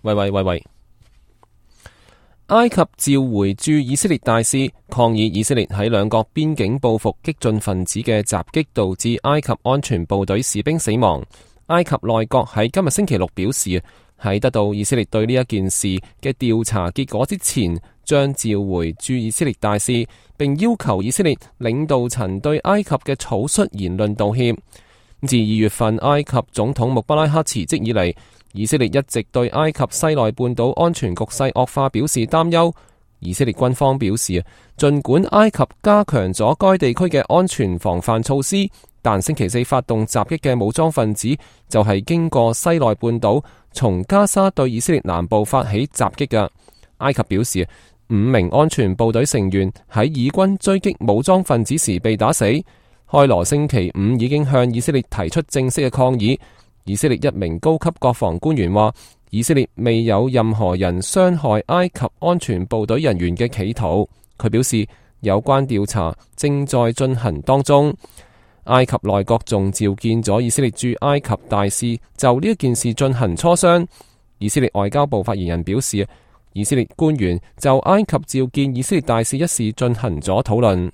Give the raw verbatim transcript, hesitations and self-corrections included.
喂喂喂喂！埃及召回駐以色列大使，抗議以色列喺兩國邊境報復激進分子嘅襲擊，導致埃及安全部隊士兵死亡。埃及內閣喺今日星期六表示，喺得到以色列對呢一件事嘅調查結果之前，將召回駐以色列大使，並要求以色列領導層對埃及嘅草率言論道歉。自二月份埃及總統穆巴拉克辭職以嚟，以色列一直對埃及西奈半島安全局勢惡化表示擔憂。以色列軍方表示，儘管埃及加強咗該地區嘅安全防範措施，但星期四發動襲擊嘅武裝分子就係經過西奈半島，從加沙對以色列南部發起襲擊嘅。埃及表示，五名安全部隊成員喺以軍追擊武裝分子時被打死。開羅星期五已經向以色列提出正式嘅抗議。以色列一名高級國防官員話，以色列未有任何人傷害埃及安全部隊人員嘅企圖。佢表示，有關調查正在進行當中。埃及內閣仲召見咗以色列駐埃及大使，就呢一件事進行磋商。以色列外交部發言人表示，以色列官員就埃及召見以色列大使一事進行咗討論。